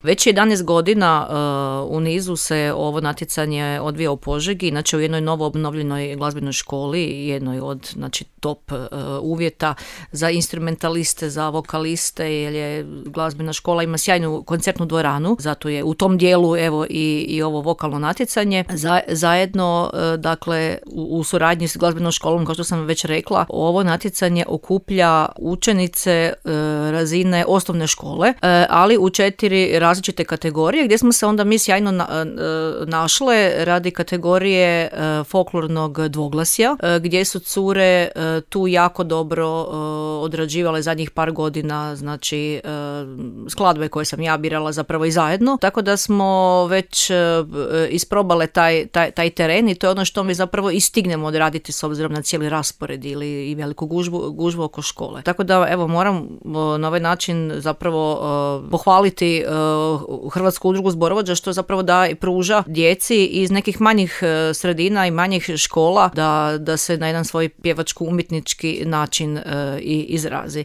Već 11 godina u nizu se ovo natjecanje odvija u Požegi, inače u jednoj novo obnovljenoj glazbenoj školi, jednoj od top uvjeta za instrumentaliste, za vokaliste, jer je glazbena škola ima sjajnu koncertnu dvoranu, zato je u tom dijelu evo i ovo vokalno natjecanje. Zajedno, dakle, u suradnji s glazbenom školom, kao što sam već rekla, ovo natjecanje okuplja učenice razine osnovne škole, ali u 4 različite kategorije, gdje smo se onda mi sjajno našle radi kategorije folklornog dvoglasja, gdje su cure tu jako dobro odrađivale zadnjih par godina, znači skladbe koje sam ja birala zapravo i zajedno, tako da smo već isprobale taj teren i to je ono što mi zapravo i stignemo odraditi s obzirom na cijeli raspored i veliku gužvu oko škole. Tako da evo moram na ovaj način zapravo pohvaliti Hrvatsku udrugu zborovođa što zapravo da i pruža djeci iz nekih manjih sredina i manjih škola da se na jedan svoj pjevačko-umjetnički način i izrazi.